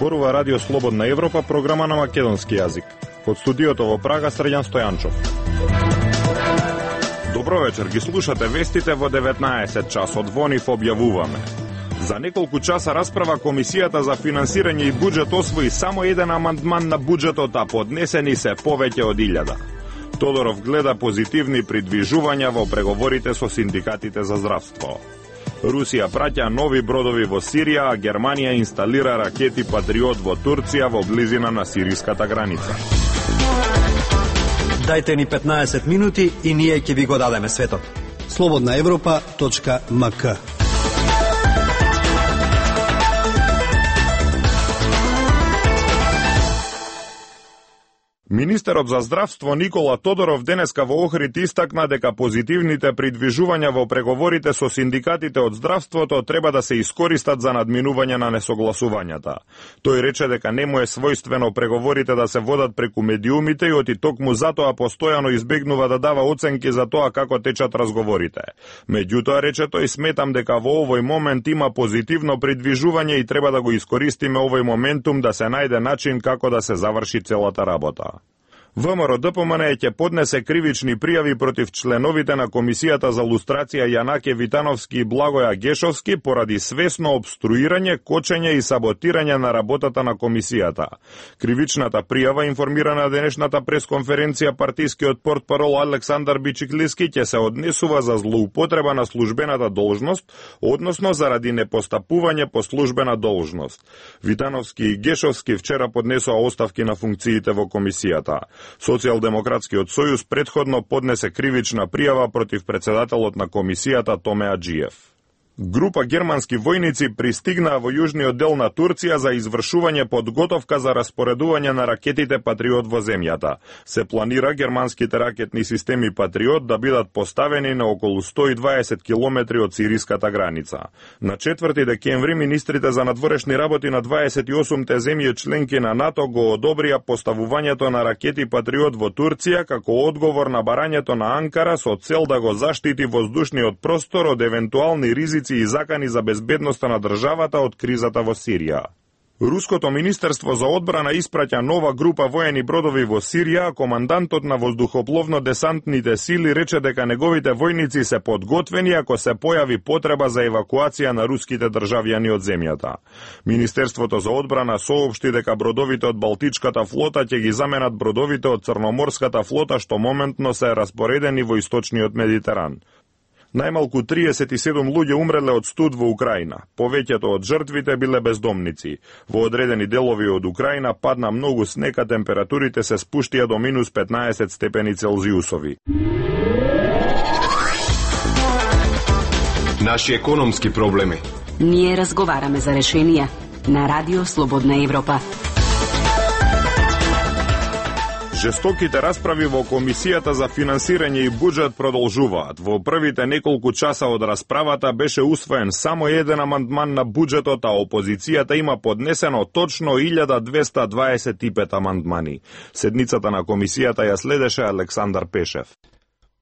зборува Радио Слободна Европа, програма на македонски јазик. Од студиото во Прага, Срđan Стојанчов. Добро вечер, ги слушате вестите во 19 часот. Во нив објавуваме. За неколку часа расправа Комисијата за финансирање и буџет освои само еден амандман на буџетот, а поднесени се повеќе од 1000. Тодоров гледа позитивни придвижувања во преговорите со синдикатите за здравство. Русија праќа нови бродови во Сирија, а Германија инсталира ракети Патриот во Турција во близина на сириската граница. Дајте ни 15 минути и ние ќе ви го дадеме светот. slobodnaevropa.mk. Министерот за здравство Никола Тодоров денеска во Охрид истакна дека позитивните придвижувања во преговорите со синдикатите од здравството треба да се искористат за надминување на несогласувањата. Тој рече дека не му е својствено преговорите да се водат преку медиумите и оти токму затоа постојано избегнува да дава оценки за тоа како течат разговорите. Меѓутоа, рече тој, сметам дека во овој момент има позитивно придвижување и треба да го искористиме овој моментум да се најде начин како да се заврши целата работа. ВМРО-ДПМН ќе поднесе кривични пријави против членовите на Комисијата за лустрација Јанаке Витановски и Благоја Гешовски поради свесно обструирање, кочење и саботирање на работата на Комисијата. Кривичната пријава, информира на денешната пресконференција партискиот портпарол Александар Бичиклиски, ќе се однесува за злоупотреба на службената должност, односно заради непостапување по службена должност. Витановски и Гешовски вчера поднесоа оставки на функциите во Комисијата. Социјалдемократскиот сојуз претходно поднесе кривична пријава против председателот на комисијата Томе Аџиев. Група германски војници пристигнаа во јужниот дел на Турција за извршување подготовка за распоредување на ракетите Патриот во земјата. Се планира германските ракетни системи Патриот да бидат поставени на околу 120 километри од сириската граница. На 4 декември министрите за надворешни работи на 28-те земји членки на НАТО го одобрија поставувањето на ракети Патриот во Турција како одговор на барањето на Анкара со цел да го заштити воздушниот простор од евентуални ризици и закани за безбедноста на државата од кризата во Сирија. Руското министерство за одбрана испраќа нова група воени бродови во Сирија, а командантот на воздухопловно-десантните сили рече дека неговите војници се подготвени ако се појави потреба за евакуација на руските државјани од земјата. Министерството за одбрана соопшти дека бродовите од Балтичката флота ќе ги заменат бродовите од Црноморската флота што моментно се распоредени во источниот Медитеран. Најмалку 37 луѓе умреле од студ во Украина. Повеќето од жртвите биле бездомници. Во одредени делови од Украина падна многу снег, а температурите се спуштија до минус 15 степени Целзиусови. Наши економски проблеми. Ние разговараме за решенија на Радио Слободна Европа. Жестоките расправи во Комисијата за финансирање и буџет продолжуваат. Во првите неколку часа од расправата беше усвоен само еден амандман на буџетот, а опозицијата има поднесено точно 1225 амандмани. Седницата на Комисијата ја следеше Александар Пешев.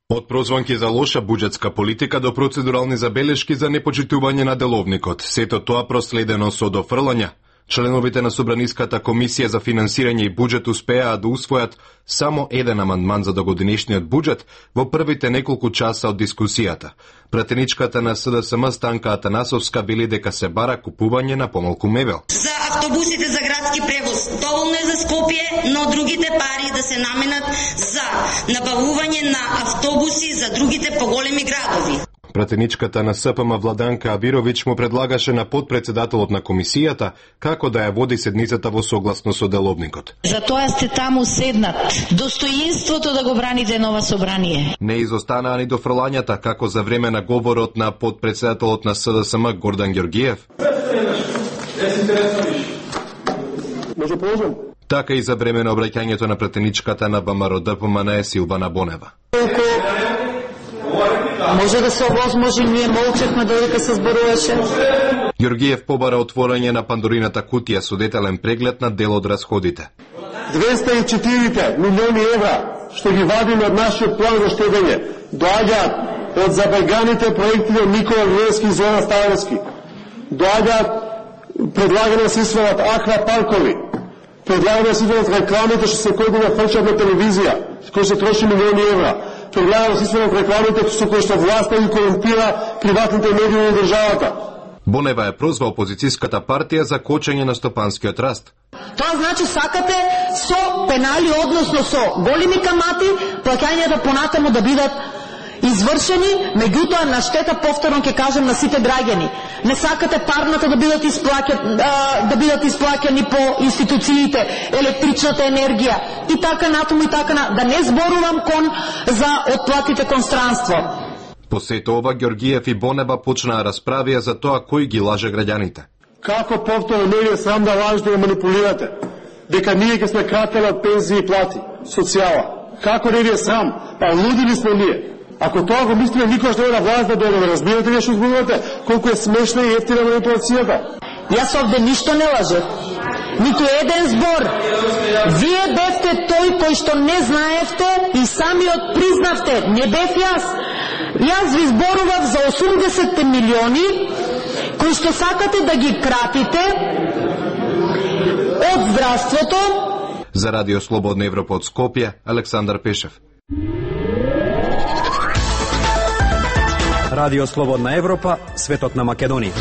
Од прозванки за лоша буџетска политика до процедурални забелешки за непочитување на деловникот, сето тоа проследено со дофрлања. Членовите на Собраниската комисија за финансирање и буџет успеаа да усвојат само еден амандман за догодинешниот буџет во првите неколку часа од дискусијата. Пратеничката на СДСМ Станка Атанасовска вели дека се бара купување на помалку мебел. За автобусите за градски превоз доволно е за Скопје, но другите пари да се наменат за набавување на автобуси за другите поголеми градови. Пратеничката на СПМ Владанка Абировиќ му предлагаше на подпредседателот на комисијата како да ја води седницата во согласно со деловникот. Затоа сте таму седнат. Достоинството да го браните нова собрание. Не изостанаа ни дофрлањата како за време на говорот на подпредседателот на СДСМ Гордан Ѓоргиев. Така и за време на обраќањето на пратеничката на ВМРО-ДПМН Силвана Бонева. Може да се овозможи, ние молчевме додека се зборуваше. Ѓоргиев побара отворање на Пандорината кутија со детален преглед на дел од расходите. 204 милиони евра што ги вадиме од нашиот план за штедење доаѓаат од забеганите проекти од Никола Груевски и Зона Ставровски. Доаѓаат Предлагаме да се свалат аквапаркови. Предлагаме да се свалат рекламите што се кои да фрчат на телевизија, кои се троши милиони евра. Предлагаме да се свалат рекламите со кои што власта ги корумпира приватните медии на државата. Бонева е прозва опозицијската партија за кочење на стопанскиот раст. Тоа значи сакате со пенали, односно со големи камати, плаќањата понатаму да бидат извршени, меѓутоа на штета, повторно ќе кажем, на сите граѓани. Не сакате парната да бидат исплаќани по институциите, електричната енергија и така натаму и така натаму. Да не зборувам за отплатите кон странство. По сето ова, Ѓоргиев и Бонева почнаа расправија за тоа кој ги лаже граѓаните. Како повторно не е срам да лажете да манипулирате? Дека ние ќе сме кратели од пензии и плати, социјала. Како не ви е срам? Па луди ли сме ние? Ако тоа го мислиме, никош не е на власт да дојде. Разбирате ли што зборувате? Колку е смешна и ефтина манипулацијата? Јас овде ништо не лажев. Ниту еден збор. Вие бевте тој кој што не знаевте и самиот признавте. Не бев јас. Јас ви зборував за 80 милиони кои што сакате да ги кратите од здравството. За Радио Слободна Европа од Скопје, Александар Пешев. Радио Слободна Европа, светот на Македонија.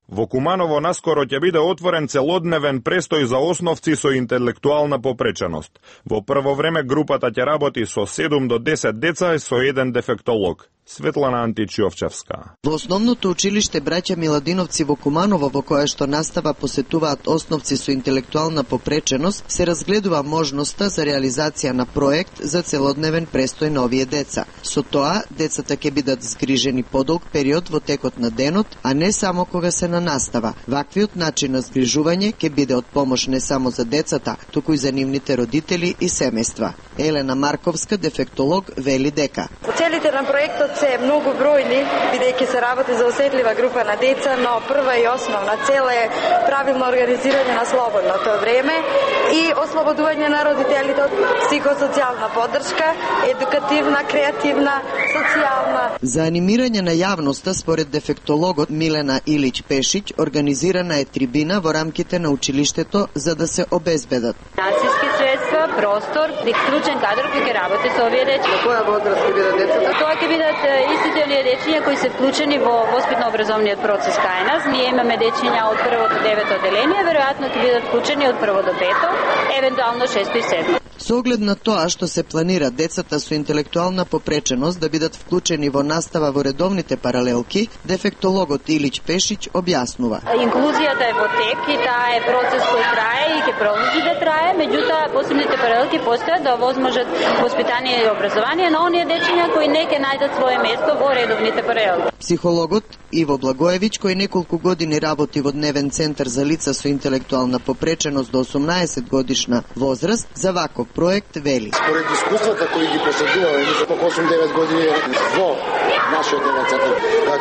Во Куманово наскоро ќе биде отворен целодневен престој за основци со интелектуална попреченост. Во прво време групата ќе работи со 7 до 10 деца и со еден дефектолог. Светлана Античиовчевска. Во основното училиште браќа Миладиновци во Куманово, во кое што настава посетуваат основци со интелектуална попреченост, се разгледува можноста за реализација на проект за целодневен престој на овие деца. Со тоа, децата ќе бидат згрижени подолг период во текот на денот, а не само кога се на настава. Ваквиот начин на згрижување ќе биде од помош не само за децата, туку и за нивните родители и семејства. Елена Марковска, дефектолог, вели дека целите на проектот се многу бројни, бидејќи се работи за осетлива група на деца, но прва и основна цел е правилно организирање на слободното време и ослободување на родителите од психосоцијална поддршка, едукативна, креативна, социјална. За анимирање на јавноста, според дефектологот Милена Илич Пешиќ, организирана е трибина во рамките на училиштето за да се обезбедат финансиски средства, простор, клучен кадар кој ќе работи со овие деца. Во која возраст ќе бидат децата? Тоа ќе бидат истите оние дечиња кои се вклучени во воспитно-образовниот процес кај нас. Ние имаме дечиња од прво до 9 оделение, веројатно ќе бидат вклучени од прво до 5, евентуално 6 и 7. Со оглед на тоа што се планира децата со интелектуална попреченост да бидат вклучени во настава во редовните паралелки, дефектологот Илич Пешиќ објаснува. Инклузијата е во тек и таа е процес кој трае и ќе продолжи да трае, меѓутоа посебните паралелки постојат да овозможат воспитание и образование на оние дечиња кои не ќе најдат свое место во редовните паралелки. Психологот Иво Благоевиќ, кој неколку години работи во дневен центар за лица со интелектуална попреченост до 18 годишна возраст, за ваков проект вели. Според искуствата кои ги поседуваме, мислам по 8-9 години во нашиот дневен центар,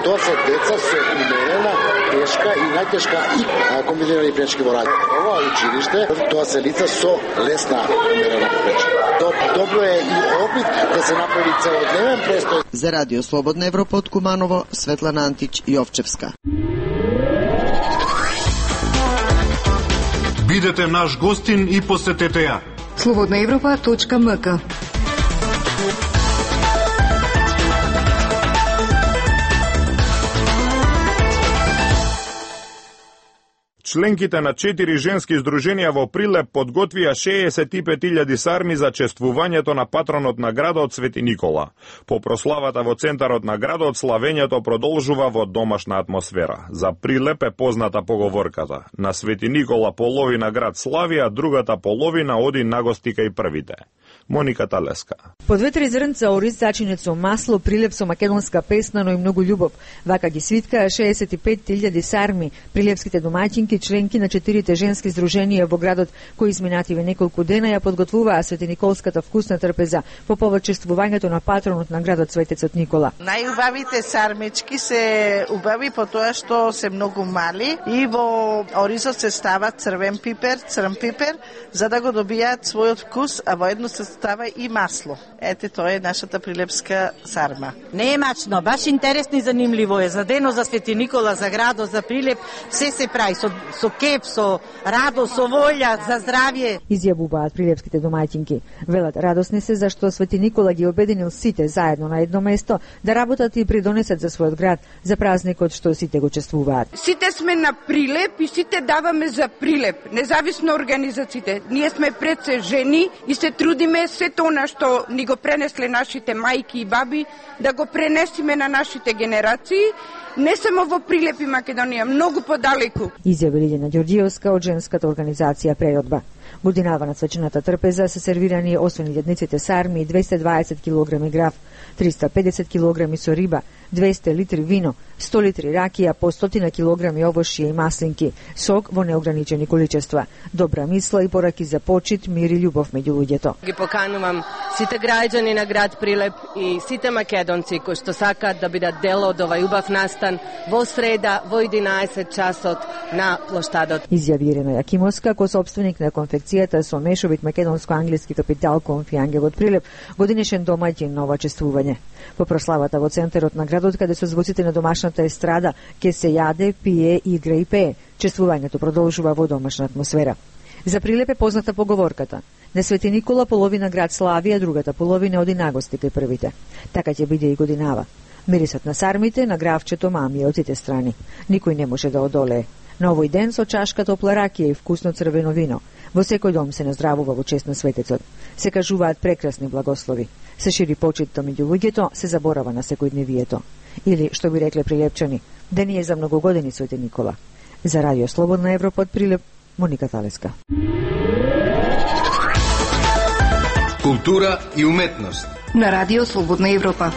тоа се деца со умерена, тешка и најтешка и комбинирани пречки во раѓање. Ова училиште, тоа се лица со лесна умерена попреченост. Добро е и опит да се направи целодневен престој. За Радио Слободна Европа од Куманово, Светлана Антич Јовчевска. Бидете наш гостин и посетете ја. slobodnaevropa.mk. Членките на 4 женски здруженија во Прилеп подготвија 65.000 сарми за чествувањето на патронот на градот Свети Никола. По прославата во центарот на градот, славењето продолжува во домашна атмосфера. За Прилеп е позната поговорката: на Свети Никола половина град слави, а другата половина оди нагости кај првите. Моника Талеска. По 2-3 зрнца ориз зачинет со масло, Прилеп со македонска песна, но и многу љубов. Вака ги свиткаа 65.000 сарми. Прилепските домаќинки и членки на 4 женски здруженија во градот, кои изминативе неколку дена ја подготвуваа Светиниколската вкусна трпеза по повод чествувањето на патронот на градот Светецот Никола. Најубавите сармички се убави по тоа што се многу мали и во оризот се става црвен пипер, за да го добијаат својот вкус, а воедно се става и масло. Ете, тоа е нашата прилепска сарма. Не е мачно, баш интересно и занимливо е. За денот за Свети Никола, за градот, за Прилеп, се прави со кеп, со радост, со волја, за здравје. Изјавуваат прилепските домаќинки. Велат, радосни се зашто Свети Никола ги обединил сите заедно на едно место да работат и придонесат за својот град, за празникот што сите го чествуваат. Сите сме на Прилеп и сите даваме за Прилеп, независно организациите. Ние сме пред се жени и се трудиме сето она што ни го пренесле нашите мајки и баби, да го пренесиме на нашите генерации, не само во Прилеп и Македонија, многу подалеку. Изјави Лиљана Ѓорѓиевска од женската организација Преродба. Годинава на свечената трпеза се сервирани освен јадниците сарми 220 кг граф, 350 кг со риба, 200 литри вино, 100 литри ракија, по 100 кг овошје и маслинки, сок во неограничени количества, добра мисла и пораки за почит, мир и љубов меѓу луѓето. Ги поканувам сите граѓани на град Прилеп и сите македонци кои што сакаат да бидат дел од овај убав настан во среда во 11 часот на плоштадот. Изјави Ирена Јакимовска, косопственик на конфекцијата со мешовит македонско-англиски капитал Конфи Ангел од Прилеп, годинешен домаќин на ова чествување. По прославата во центарот на градот, каде со звуците на домашната естрада ке се јаде, пие, игра и пее, чествувањето продолжува во домашна атмосфера. За Прилеп е позната поговорката: на Свети Никола половина град слави, а другата половина оди нагости кај првите. Така ќе биде и годинава. Мирисот на сармите, на гравчето, мами од сите страни. Никој не може да одолее. На овој ден со чашка топла ракија и вкусно црвено вино. Во секој дом се наздравува во чест на светецот. Се кажуваат прекрасни благослови. Се шири почитто меѓу луѓето, се заборава на секојдневието. Или, што би рекле прилепчани, ден е за многу години Свети Никола. За Радио Слободна Европа од Прилеп, Моника Талеска. Култура и уметност на Радио Слободна Европа.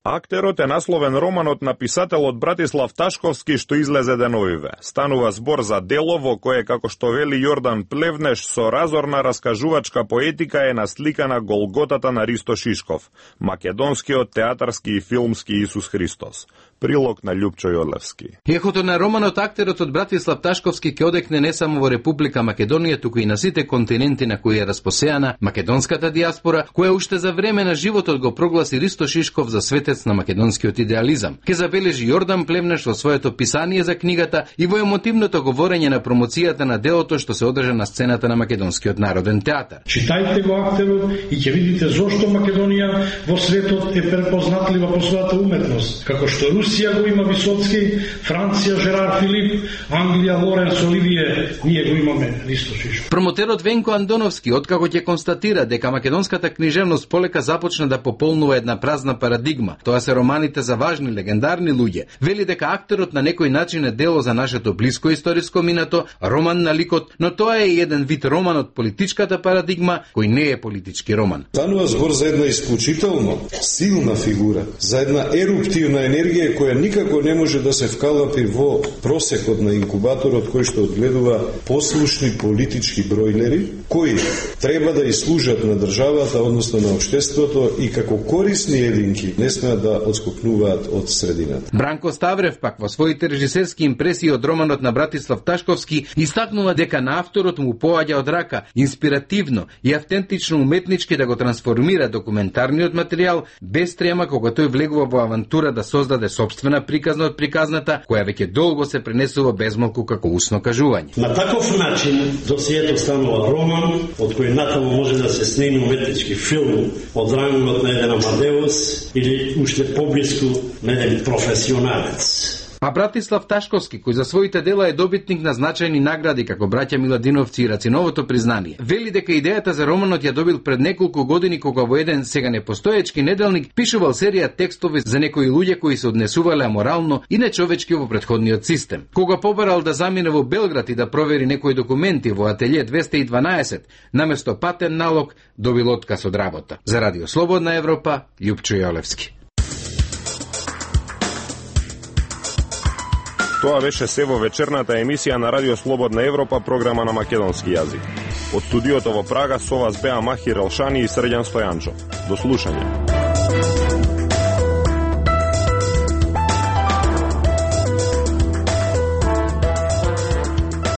Актерот е насловен романот на писателот Братислав Ташковски што излезе деновиве. Станува збор за дело во кое, како што вели Јордан Плевнеш, со разорна раскажувачка поетика е насликана Голготата на Ристо Шишков, македонскиот театарски и филмски Исус Христос. Прилог на Љупчо Јолевски. Ехото на романот актерот од Братислав Ташковски ќе одекне не само во Република Македонија, туку и на сите континенти на кои е распосеана македонската диаспора, која уште за време на животот го прогласи Ристо Шишков за светец на македонскиот идеализам. Ке забележи Јордан Плевнеш во своето писание за книгата и во емотивното говорење на промоцијата на делото што се одржа на сцената на Македонскиот народен театар. Читајте го актерот и ќе видите зошто Македонија во светот е препознатлива по својата уметност, како што Русија го има Висоцки, Франција Жерар Филип, Англија Лоренс Оливие, ние го имаме Ристо Шишков. Промотерот Венко Андоновски откако ќе констатира дека македонската книжевност полека започна да пополнува една празна парадигма, тоа се романите за важни легендарни луѓе, вели дека актерот на некој начин е дело за нашето блиско историско минато, роман на ликот, но тоа е еден вид роман од политичката парадигма кој не е политички роман. Станува збор за една исклучително силна фигура, за една еруптивна енергија која никако не може да се вкалапи во просекот на инкубаторот кој што одгледува послушни политички бројлери, кои треба да служат на државата, односно на општеството и како корисни единки не смеат да отскокнуваат од средината. Бранко Ставрев пак во своите режисерски импресии од романот на Братислав Ташковски истакнува дека на авторот му поаѓа од рака инспиративно и автентично уметнички да го трансформира документарниот материјал без трема кога тој влегува во авантура да создаде собствена приказна од приказната, која веќе долго се пренесува безмалку како усно кажување. На таков начин досието станува роман, од кој натаму може да се снеми уметнички филм од рангот на еден Амадеус или уште поблиску на еден професионалец. А Братислав Ташковски, кој за своите дела е добитник на значајни награди како браќа Миладиновци и Рациновото признание, вели дека идејата за романот ја добил пред неколку години кога во еден сега непостоечки неделник пишувал серија текстови за некои луѓе кои се однесувале аморално и нечовечки во претходниот систем. Кога побарал да замине во Белград и да провери некои документи во ателје 212, наместо патен налог добил отказ од работа. За Радио Слободна Европа, Љупчо Јолевски. Тоа беше се во вечерната емисија на Радио Слободна Европа, програма на македонски јазик. Од студиото во Прага со вас беа Махир Елшани и Срđan Стојанчо. До слушање.